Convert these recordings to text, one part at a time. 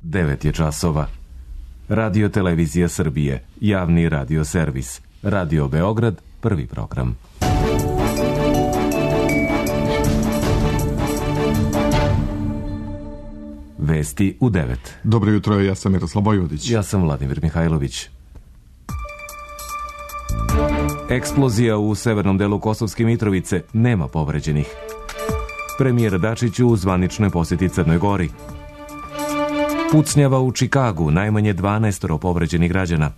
9 je časova. Radio Televizija Srbije, javni radio servis. Radio Beograd, prvi program. Vesti u 9. Dobro jutro, ja sam Miroslav Vojvodić. Ja sam Vladimir Mihajlović. Eksplozija u severnom delu Kosovske Mitrovice, nema povređenih. Premijer Dačić u zvaničnoj posjeti Crnoj Gori. Pucnjava u Čikagu, najmanje 12 povređenih građana.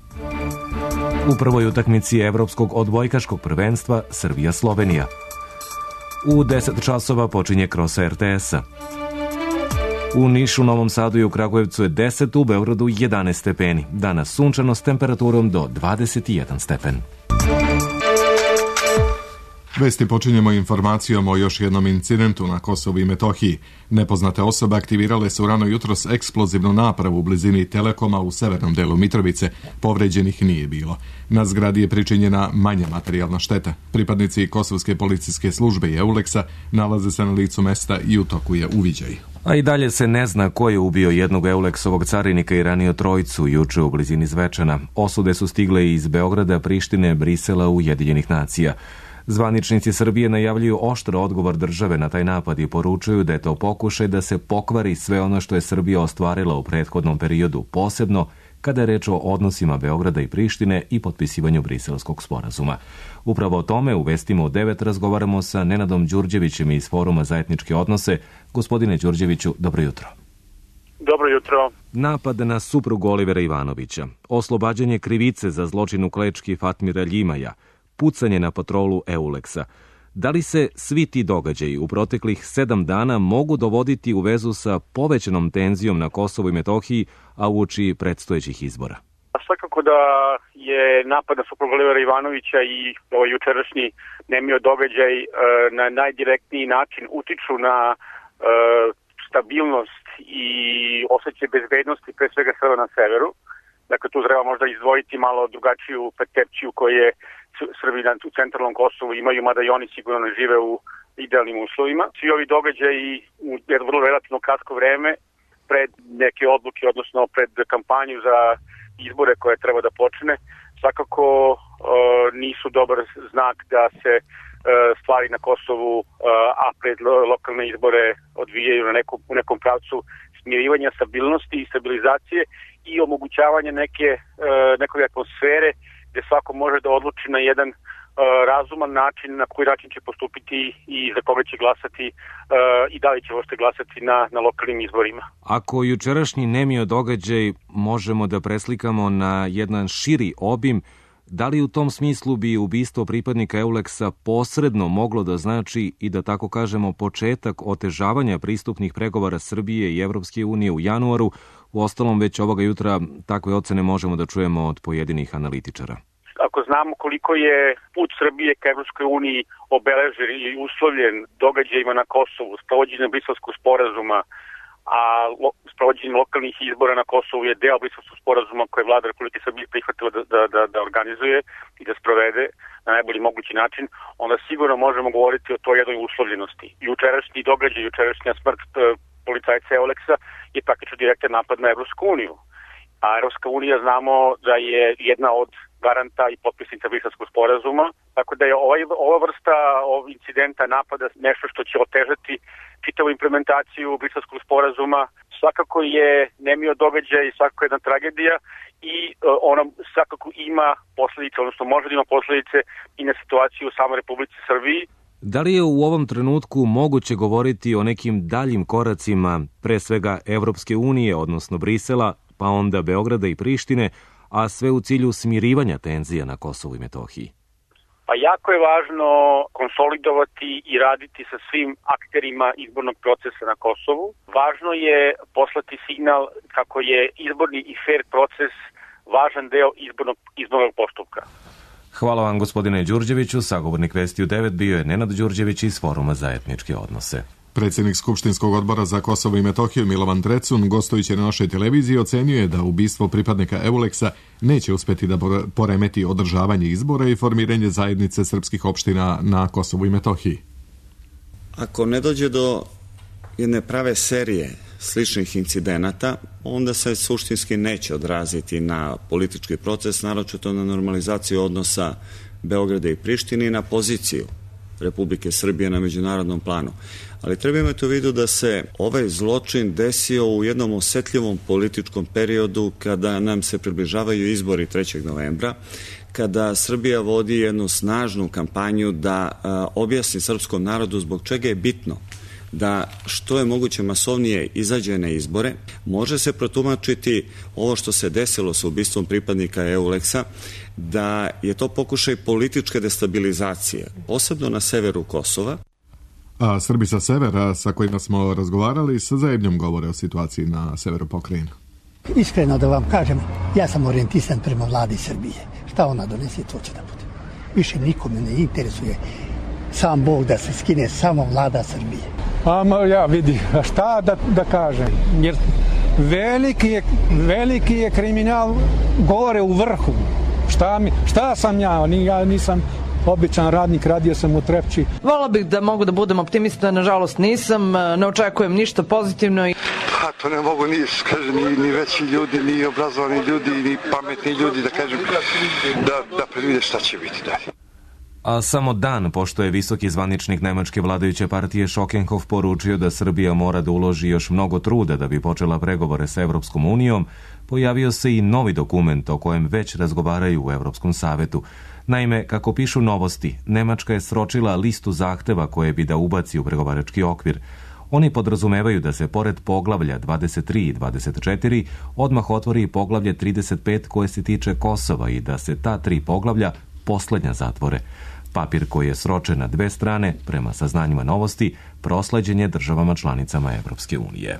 U prvoj utakmici Evropskog odbojkaškog prvenstva Srbija-Slovenija. U 10 časova počinje krosa RTS-a. U Nišu, Novom Sadu i u Kragujevcu je 10, u Beogradu 11 stepeni. Danas sunčano s temperaturom do 21 stepen. Vesti počinjemo informacijom o još jednom incidentu na Kosovu i Metohiji. Nepoznate osobe aktivirale su rano jutros eksplozivnu napravu u blizini Telekoma u severnom delu Mitrovice. Povređenih nije bilo. Na zgradi je pričinjena manja materijalna šteta. Pripadnici Kosovske policijske službe i EULEX-a nalaze se na licu mesta i u toku je uviđaj. A i dalje se ne zna ko je ubio jednog EULEX-ovog carinika i ranio trojicu juče u blizini Zvečana. Osude su stigle iz Beograda, Prištine, Brisela, Ujedinjenih nacija. Zvaničnici Srbije najavljuju oštar odgovor države na taj napad i poručuju da je to pokušaj da se pokvari sve ono što je Srbija ostvarila u prethodnom periodu, posebno kada je reč o odnosima Beograda i Prištine i potpisivanju Briselskog sporazuma. Upravo o tome u vestima u 9 razgovaramo sa Nenadom Đurđevićem iz Foruma za etničke odnose. Gospodine Đurđeviću, dobro jutro. Dobro jutro. Napad na suprugu Olivera Ivanovića, oslobađanje krivice za zločin u Klečki Fatmira Ljimaja, pucanje na patrolu EULEX-a. Da li se svi ti događaji u proteklih 7 dana mogu dovoditi u vezu sa povećanom tenzijom na Kosovu i Metohiji, a uoči predstojećih izbora? Svakako da je napad na suprugu Olivera Ivanovića i ovaj jučerašnji nemio događaj na najdirektniji način utiču na stabilnost i osjećaj bezbednosti pre svega Srba na severu. Dakle, tu treba možda izdvojiti malo drugačiju percepciju koje Srbi u centralnom Kosovu imaju, mada i oni sigurno ne žive u idealnim uslovima. Svi ovi događaji u jedno vrlo relativno kratko vreme pred neke odluke, odnosno pred kampanju za izbore koje treba da počne, svakako nisu dobar znak da se stvari na Kosovu, a pred lokalne izbore odvijaju u nekom pravcu smirivanja, stabilnosti i stabilizacije i omogućavanja neke atmosfere gde svako može da odluči na jedan razuman način na koji način će postupiti i za koga će glasati i da li će uopšte glasati na lokalnim izborima. Ako jučerašnji nemio događaj možemo da preslikamo na jedan širi obim, da li u tom smislu bi ubistvo pripadnika EULEX-a posredno moglo da znači i da tako kažemo početak otežavanja pristupnih pregovora Srbije i Evropske unije u januaru? Uostalom, već ovoga jutra takve ocene možemo da čujemo od pojedinih analitičara. Ako znamo koliko je put Srbije ka Evropskoj uniji obeležen i uslovljen događajima na Kosovu, sprovođenjem Briselskog sporazuma, a sprovođenje lokalnih izbora na Kosovu je deo Briselskog sporazuma koje je vlada Republike Srbije prihvatila da organizuje i da sprovede na najbolji mogući način, onda sigurno možemo govoriti o toj jednoj uslovljenosti. Jučerašnji događaj, jučerašnja smrt policajca EULEX-a je praktično direktan napad na Evropsku uniju. A Evropska unija znamo da je jedna od garanta i potpisnica Briselskog sporazuma, tako da je ova vrsta incidenta napada nešto što će otežati čitavu implementaciju Briselskog sporazuma. Svakako je nemio događaj, svakako jedna tragedija i ona svakako ima posledice, odnosno može da ima posledice i na situaciju u samoj Republici Srbiji. Da li je u ovom trenutku moguće govoriti o nekim daljim koracima, pre svega Evropske unije, odnosno Brisela, pa onda Beograda i Prištine, a sve u cilju smirivanja tenzija na Kosovu i Metohiji? Pa jako je važno konsolidovati i raditi sa svim akterima izbornog procesa na Kosovu. Važno je poslati signal kako je izborni i fair proces važan deo izbornog postupka. Hvala vam, gospodine Đurđeviću. Sagovornik Vesti u 9 bio je Nenad Đurđević iz Foruma za etničke odnose. Predsjednik Skupštinskog odbora za Kosovo i Metohiju Milovan Drecun, gostujući na našoj televiziji, ocenjuje da ubistvo pripadnika EULEX-a neće uspjeti da poremeti održavanje izbora i formiranje zajednice srpskih opština na Kosovu i Metohiji. Ako ne dođe do jedne prave serije sličnih incidenata, onda se suštinski neće odraziti na politički proces, naročito na normalizaciju odnosa Beograda i Prištine i na poziciju Republike Srbije na međunarodnom planu. Ali treba imati u vidu da se ovaj zločin desio u jednom osetljivom političkom periodu kada nam se približavaju izbori 3. novembra, kada Srbija vodi jednu snažnu kampanju da objasni srpskom narodu zbog čega je bitno da što je moguće masovnije izađe na izbore. Može se protumačiti ovo što se desilo sa ubistvom pripadnika EULEX-a, da je to pokušaj političke destabilizacije, posebno na severu Kosova. A Srbi sa severa sa kojima smo razgovarali sa zebnjom govore o situaciji na severu pokrajine. Iskreno da vam kažem, ja sam orijentisan prema vladi Srbije. Šta ona donese, to će da bude. Više nikome ne interesuje sam Bog da se skine, samo vlada Srbije. Ja vidi, šta da kažem, jer veliki je kriminal gore u vrhu. Šta sam ja nisam običan radnik, radio sam u Trepči. Volila bih da mogu da budem optimista, nažalost nisam, ne očekujem ništa pozitivno. Pa to ne mogu ni veći ljudi, ni obrazovani ljudi, ni pametni ljudi, da kažem, da predvide šta će biti dalje. A samo dan pošto je visoki zvaničnik nemačke vladajuće partije Schockenhof poručio da Srbija mora da uloži još mnogo truda da bi počela pregovore sa Evropskom unijom, pojavio se i novi dokument o kojem već razgovaraju u Evropskom savetu. Naime, kako pišu Novosti, Nemačka je sročila listu zahteva koje bi da ubaci u pregovarački okvir. Oni podrazumevaju da se pored poglavlja 23 i 24 odmah otvori poglavlje 35 koje se tiče Kosova i da se ta 3 poglavlja poslednja zatvore. Papir koji je sročen na 2 strane, prema saznanjima Novosti, prosleđen je državama članicama Evropske unije.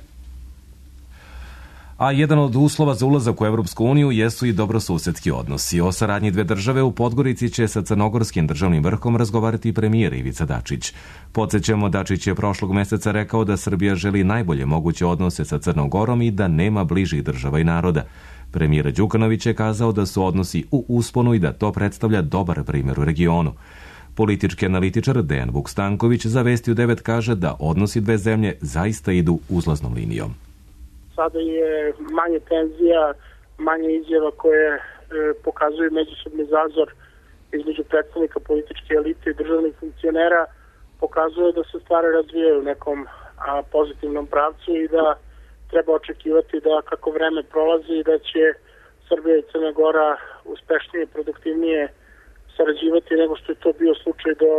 A jedan od uslova za ulazak u Evropsku uniju jesu i dobrosusedski odnosi. O saradnji dve države u Podgorici će sa crnogorskim državnim vrhom razgovarati premijer Ivica Dačić. Podsećamo, Dačić je prošlog meseca rekao da Srbija želi najbolje moguće odnose sa Crnom Gorom i da nema bližih država i naroda. Premijer Đukanović je kazao da su odnosi u usponu i da to predstavlja dobar primjer u regionu. Politički analitičar Dejan Vuk-Stanković za Vesti u 9 kaže da odnosi dve zemlje zaista idu uzlaznom linijom. Sada je manje tenzija, manje izjava koje pokazuju međusobni zazor između predstavnika političke elite i državnih funkcionera, pokazuje da se stvari razvijaju u nekom pozitivnom pravcu i da treba očekivati da kako vreme prolazi da će Srbija i Crna Gora uspešnije i produktivnije sarađivati nego što je to bio slučaj do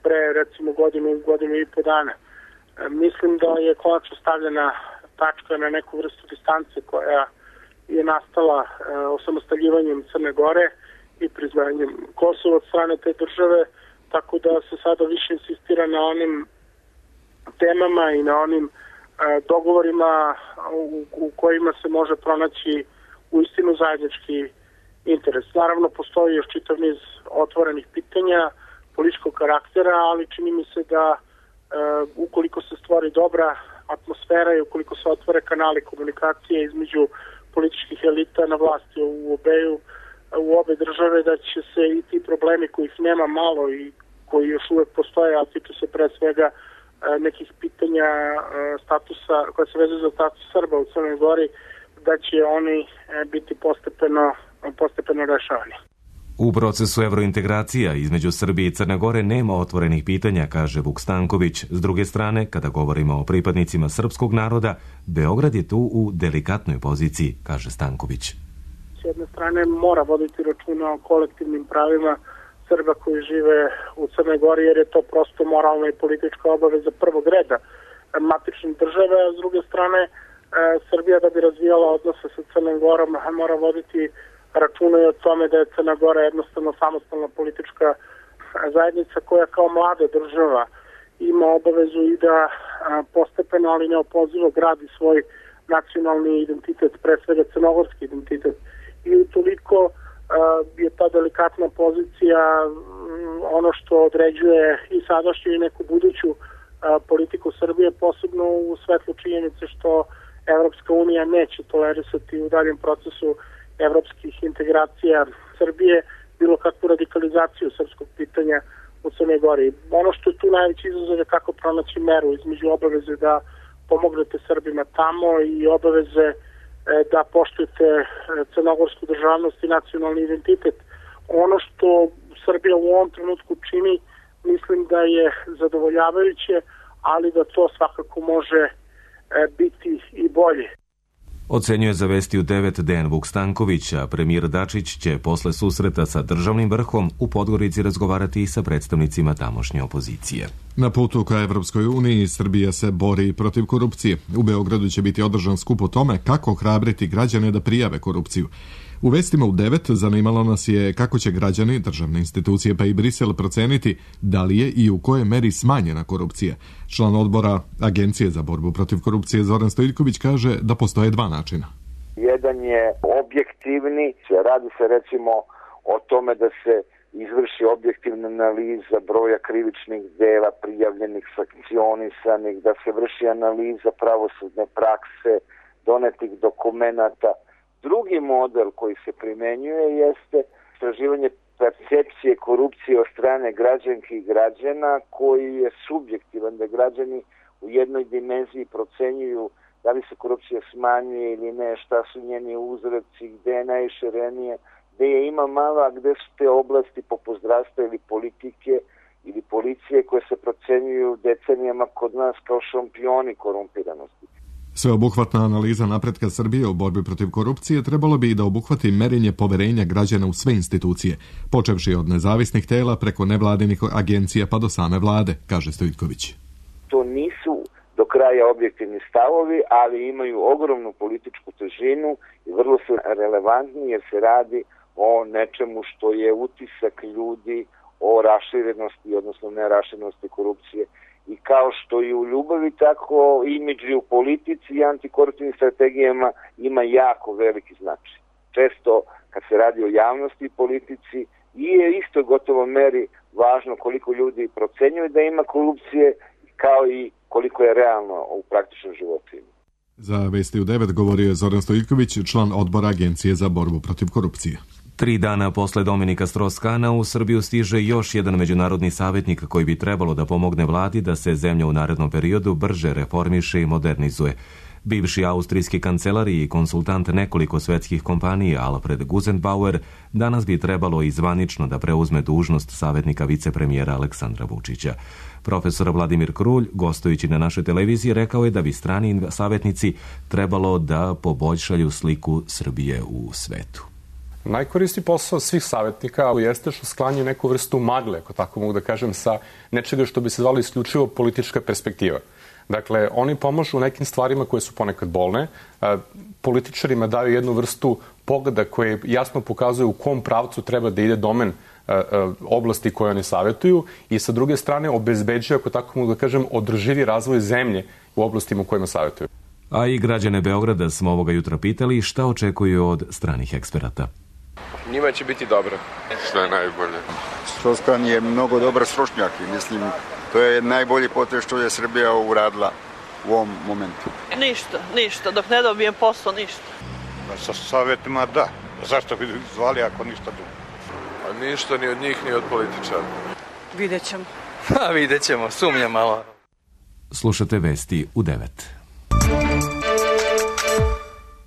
pre recimo godinu i po dana. Mislim da je konačno stavljena tačka na neku vrstu distance koja je nastala osamostaljivanjem Crne Gore i priznanjem Kosova od strane te države, tako da se sada više insistira na onim temama i na onim dogovorima u kojima se može pronaći uistinu zajednički interes. Naravno, postoji još čitav niz otvorenih pitanja političkog karaktera, ali čini mi se da ukoliko se stvori dobra atmosfera i ukoliko se otvore kanali komunikacije između političkih elita na vlasti u obe države, da će se i ti problemi kojih nema malo i koji još uvek postoje, a tiču se pre svega nekih pitanja statusa, koja se vezuju za status Srba u Crnoj Gori, da će oni biti postepeno rešavani. U procesu evrointegracija između Srbije i Crne Gore nema otvorenih pitanja, kaže Vuk-Stanković. S druge strane, kada govorimo o pripadnicima srpskog naroda, Beograd je tu u delikatnoj poziciji, kaže Stanković. S jedne strane mora voditi računa o kolektivnim pravima Srba koji žive u Crnoj Gori, jer je to prosto moralna i politička obaveza prvog reda matične države, a s druge strane Srbija da bi razvijala odnose sa Crnom Gorom mora voditi računa i o tome da je Crna Gora jednostavno samostalna politička zajednica koja kao mlada država ima obavezu i da postepeno, ali neopozivo gradi svoj nacionalni identitet, pre svega crnogorski identitet. I utoliko je ta delikatna pozicija ono što određuje i sadašnju i neku buduću politiku Srbije, posebno u svetlu činjenice što Evropska unija neće tolerisati u daljem procesu evropskih integracija Srbije bilo kakvu radikalizaciju srpskog pitanja u Crnoj Gori. Ono što je tu najveći izazov je kako pronaći meru između obaveze da pomognete Srbima tamo i obaveze da poštujete crnogorsku državnost i nacionalni identitet. Ono što Srbija u ovom trenutku čini, mislim da je zadovoljavajuće, ali da to svakako može biti i bolje. Ocenjuje za Vesti u 9 Dejan Vuk Stanković, a premijer Dačić će posle susreta sa državnim vrhom u Podgorici razgovarati i sa predstavnicima tamošnje opozicije. Na putu ka Evropskoj uniji Srbija se bori protiv korupcije. U Beogradu će biti održan skup o tome kako hrabriti građane da prijave korupciju. U Vestima u 9 zanimalo nas je kako će građani, državne institucije pa i Brisel proceniti da li je i u kojoj meri smanjena korupcija. Član odbora Agencije za borbu protiv korupcije Zoran Stojiljković kaže da postoje dva načina. Jedan je objektivni, radi se recimo o tome da se izvrši objektivna analiza broja krivičnih dela prijavljenih, sankcionisanih, da se vrši analiza pravosudne prakse, donetih dokumenata. Drugi model koji se primenjuje jeste istraživanje percepcije korupcije od strane građanki i građana, koji je subjektivan, da građani u jednoj dimenziji procenjuju da li se korupcija smanjuje ili ne, šta su njeni uzroci, gde je najširenije, gde je ima malo, a gde su te oblasti poput zdravstva ili politike ili policije koje se procenjuju decenijama kod nas kao šampioni korumpiranosti. Sveobuhvatna analiza napretka Srbije u borbi protiv korupcije trebalo bi i da obuhvati merenje poverenja građana u sve institucije, počevši od nezavisnih tela preko nevladinih agencija pa do same vlade, kaže Stojiljković. To nisu do kraja objektivni stavovi, ali imaju ogromnu političku težinu i vrlo su relevantni jer se radi o nečemu što je utisak ljudi o raširenosti, odnosno neraširenosti korupcije. I kao što i u ljubavi, tako imidž i u politici i antikoruptivnim strategijama ima jako veliki značaj. Često kad se radi o javnosti i politici i je isto gotovo meri važno koliko ljudi procenjuju da ima korupcije, kao i koliko je realno u praktičnom životu. Za Vesti u 9 govorio je Zoran Stojiljković, član odbora Agencije za borbu protiv korupcije. 3 dana posle Dominika Strauss-Kahna u Srbiju stiže još jedan međunarodni savjetnik koji bi trebalo da pomogne vladi da se zemlja u narednom periodu brže reformiše i modernizuje. Bivši austrijski kancelar i konsultant nekoliko svetskih kompanija Alfred Gusenbauer danas bi trebalo i zvanično da preuzme dužnost savjetnika vicepremijera Aleksandra Vučića. Profesor Vladimir Krulj, gostujući na našoj televiziji, rekao je da bi strani savjetnici trebalo da poboljšaju sliku Srbije u svetu. Najkoristi posao svih savjetnika jeste što sklanjaju neku vrstu magle, ako tako mogu da kažem, sa nečega što bi se zvalo isključivo politička perspektiva. Dakle, oni pomažu u nekim stvarima koje su ponekad bolne, političarima daju jednu vrstu pogleda koje jasno pokazuje u kom pravcu treba da ide domen oblasti koje oni savjetuju i sa druge strane obezbeđuje, ako tako mogu da kažem, održivi razvoj zemlje u oblastima u kojima savjetuju. A i građane Beograda smo ovoga jutra pitali šta očekuju od stranih eksperata. Njima će biti dobro. Što je najbolje? Strauss-Kahn je mnogo dobar stručnjak i mislim to je najbolji potez što je Srbija uradila u ovom momentu. Ništa. Dok ne dobijem posao, ništa. Sa savjetima da. Zašto bi zvali ako ništa drugo? A ništa ni od njih, ni od političara. Vidjet ćemo, sumnjam malo. Slušate Vesti u 9.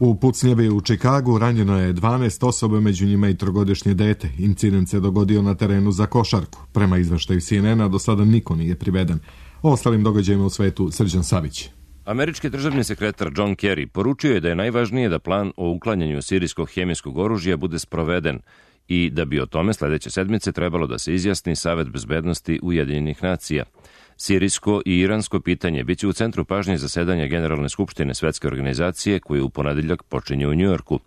U pucnjavi u Čikagu ranjeno je 12 osoba, među njima i 3-godišnje dete. Incident se dogodio na terenu za košarku. Prema izveštaju CNN-a do sada niko nije priveden. O ostalim događajima u svetu Srđan Savić. Američki državni sekretar John Kerry poručio je da je najvažnije da plan o uklanjanju sirijskog hemijskog oružja bude sproveden i da bi o tome sledeće sedmice trebalo da se izjasni Savet bezbednosti Ujedinjenih nacija. Sirijsko i iransko pitanje biće u centru pažnje zasedanja Generalne skupštine Svetske organizacije koje u ponedeljak počinje u Njujorku.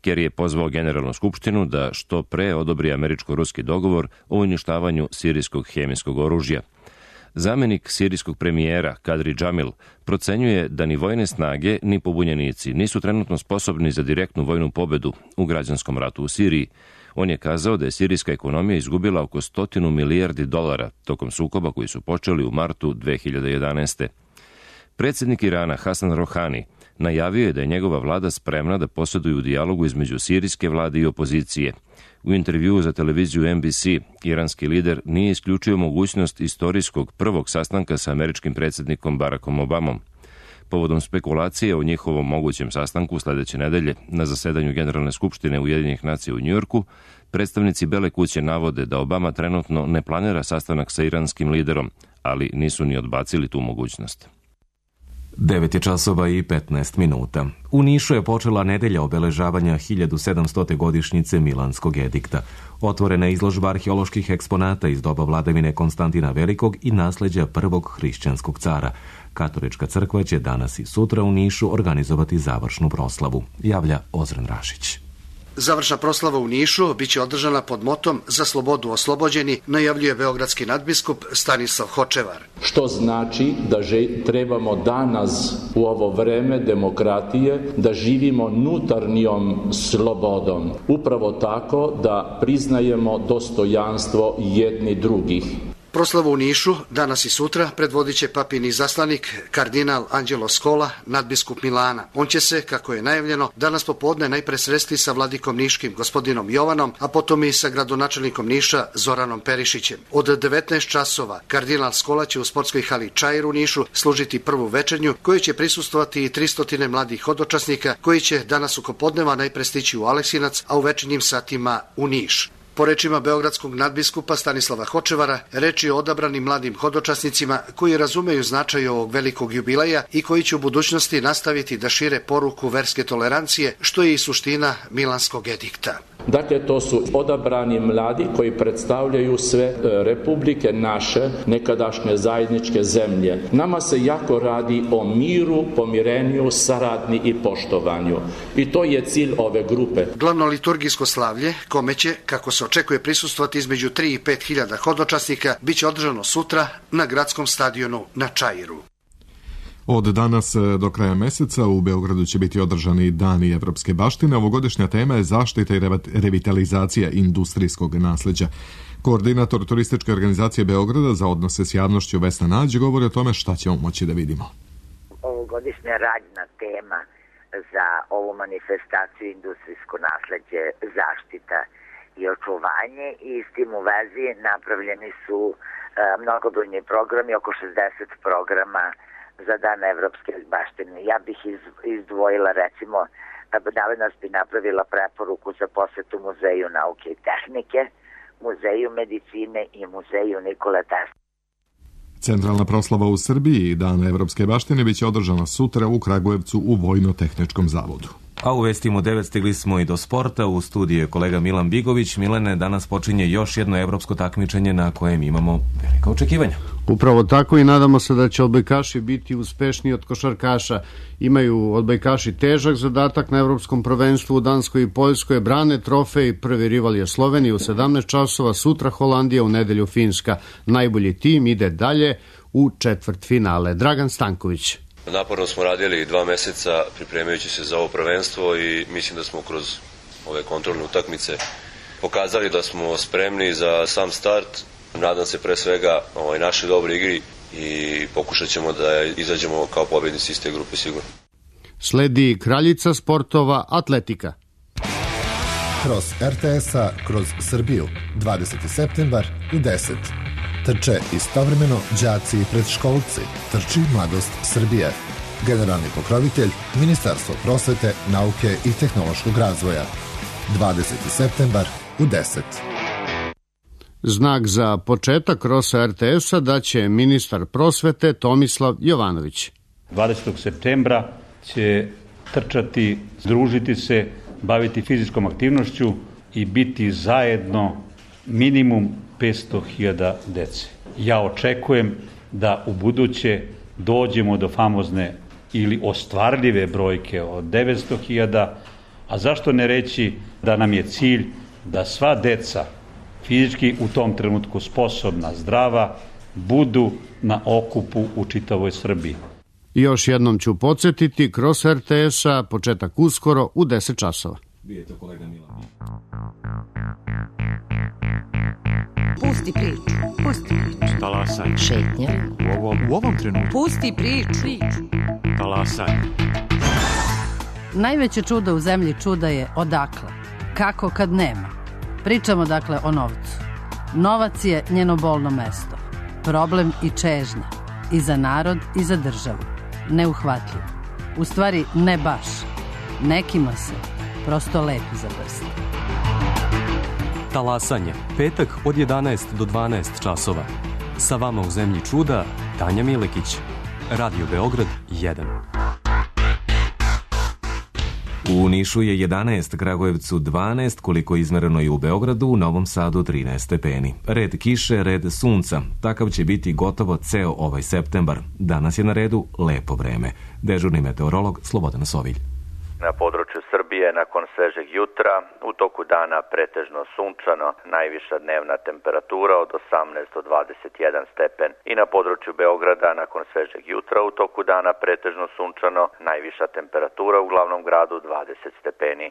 Kerry je pozvao Generalnu skupštinu da što pre odobri američko-ruski dogovor o uništavanju sirijskog hemijskog oružja. Zamenik sirijskog premijera Kadri Džamil procenjuje da ni vojne snage ni pobunjenici nisu trenutno sposobni za direktnu vojnu pobedu u građanskom ratu u Siriji. On je kazao da je sirijska ekonomija izgubila oko $100 milijardi tokom sukoba koji su počeli u martu 2011. Predsjednik Irana Hasan Rohani najavio je da je njegova vlada spremna da posreduju u dijalogu između sirijske vlade i opozicije. U intervjuu za televiziju NBC, iranski lider nije isključio mogućnost istorijskog prvog sastanka sa američkim predsjednikom Barackom Obamom. povodom spekulacije o njihovom mogućem sastanku sledeće nedelje na zasedanju Generalne skupštine Ujedinjenih nacija u Njujorku, predstavnici Bele kuće navode da Obama trenutno ne planira sastanak sa iranskim liderom, ali nisu ni odbacili tu mogućnost. 9 časova i 15 minuta. U Nišu je počela nedelja obeležavanja 1700. godišnjice Milanskog edikta. Otvorena je izložba arheoloških eksponata iz doba vladavine Konstantina Velikog i nasleđa prvog hrišćanskog cara. Katolička crkva će danas i sutra u Nišu organizovati završnu proslavu, javlja Ozren Rašić. Završna proslava u Nišu biće održana pod motom Za slobodu oslobođeni, najavljuje beogradski nadbiskup Stanislav Hočevar. Što znači da trebamo danas u ovo vreme demokratije da živimo unutarnjom slobodom. Upravo tako da priznajemo dostojanstvo jedni drugih. Proslavu u Nišu danas i sutra predvodit će papin izaslanik kardinal Anđelo Skola, nadbiskup Milana. On će se, kako je najavljeno, danas popodne najpre sresti sa vladikom niškim gospodinom Jovanom, a potom i sa gradonačelnikom Niša Zoranom Perišićem. Od 19 časova kardinal Skola će u sportskoj hali Čair u Nišu služiti prvu večernju, koju će prisustvovati i 300 mladih hodočasnika koji će danas oko podneva najpre stići u Aleksinac, a u večernjim satima u Niš. Po rečima beogradskog nadbiskupa Stanislava Hočevara, reč je o odabranim mladim hodočasnicima koji razumeju značaj ovog velikog jubileja i koji će u budućnosti nastaviti da šire poruku verske tolerancije, što je i suština Milanskog edikta. Dakle, to su odabrani mladi koji predstavljaju sve republike naše, nekadašnje zajedničke zemlje. Nama se jako radi o miru, pomirenju, saradnji i poštovanju. I to je cilj ove grupe. Glavno liturgijsko slavlje, kome će, kako se očekuje, prisustvovati između 3 i 5 hiljada hodočasnika, biće održano sutra na gradskom stadionu na Čairu. Od danas do kraja meseca u Beogradu će biti održani Dani evropske baštine. Ovogodišnja tema je zaštita i revitalizacija industrijskog nasleđa. Koordinator turističke organizacije Beograda za odnose s javnošću Vesna Nađ govori o tome šta ćemo moći da vidimo. Ovogodišnja radna tema za ovu manifestaciju industrijsko nasleđe, zaštita i očuvanje, i s tim u vezi napravljeni su mnogobrojni programi, oko 60 programa za Dan evropske baštine. Ja bih izdvojila, recimo, danas bi napravila preporuku za posetu Muzeju nauke i tehnike, Muzeju medicine i Muzeju Nikole Tesle. Centralna proslava u Srbiji Dana evropske baštine biće održana sutra u Kragujevcu u Vojno-tehničkom zavodu. A u vestima 9 stigli smo i do sporta. U studiju je kolega Milan Bigović. Milane, danas počinje još jedno evropsko takmičenje na kojem imamo velika očekivanja. Upravo tako i nadamo se da će odbojkaši biti uspešniji od košarkaša. Imaju odbojkaši težak zadatak na evropskom prvenstvu u Danskoj i Poljskoj, brane trofej, prvi rival je Slovenija u 17 časova, sutra Holandija, u nedelju Finska. Najbolji tim ide dalje u četvrtfinale. Dragan Stanković. Naporno smo radili 2 meseca pripremajući se za ovo prvenstvo i mislim da smo kroz ove kontrolne utakmice pokazali da smo spremni za sam start. Nadam se pre svega našoj dobroj igri i pokušat ćemo da izađemo kao pobednici iz te grupe sigurno. Sledi kraljica sportova atletika. Kroz RTS-a, kroz Srbiju, 20. septembar u 10. Trče istovremeno đaci i predškolci. Trči Mladost Srbije. Generalni pokrovitelj Ministarstvo prosvete, nauke i tehnološkog razvoja. 20. septembar u 10. Znak za početak krosa RTS-a daće ministar prosvete Tomislav Jovanović. 20. septembra će trčati, združiti se, baviti fizičkom aktivnošću i biti zajedno minimum 500.000 dece. Ja očekujem da u buduće dođemo do famozne ili ostvarljive brojke od 900.000, a zašto ne reći da nam je cilj da sva deca fizički u tom trenutku sposobna, zdrava, budu na okupu u čitavoj Srbiji. Još jednom ću podsjetiti, kroz RTS-a početak uskoro u 10 časova. Bijete kolega Milan. Pusti priču. Pusti priču. Talasaj. Šetnja. U ovom trenutku. Pusti priču. Talasaj. Najveće čudo u zemlji čuda je odakle. Kako kad nema. Pričamo dakle o novcu. Novac je njeno bolno mesto. Problem i čežnja. I za narod i za državu. neuhvatljiv. U stvari, ne baš. Nekima se prosto lepi za prst. Talasanje, petak od 11 do 12 časova. Sa vama u zemlji čuda, Tanja Milekić. Radio Beograd 1. U Nišu je 11, Kragujevcu 12, koliko je izmereno i u Beogradu, u Novom Sadu 13 stepeni. Red kiše, red sunca. Takav će biti gotovo ceo ovaj septembar. Danas je na redu lepo vreme. Dežurni meteorolog Slobodan Sovilj. Na području Srbije nakon svežeg jutra, u toku dana pretežno sunčano, najviša dnevna temperatura od 18 do 21 stepen. I na području Beograda nakon svežeg jutra, u toku dana pretežno sunčano, najviša temperatura u glavnom gradu 20 stepeni.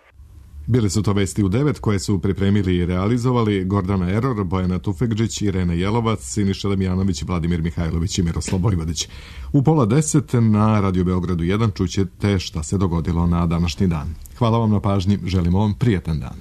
Bili su to vesti u 9 koje su pripremili i realizovali Gordana Eror, Bojana Tufekđić, Irena Jelovac, Siniša Damjanović, Vladimir Mihajlović i Miroslav Vojvodić. U 9:30 na Radio Beogradu 1 čućete šta se dogodilo na današnji dan. Hvala vam na pažnji, želimo vam prijetan dan.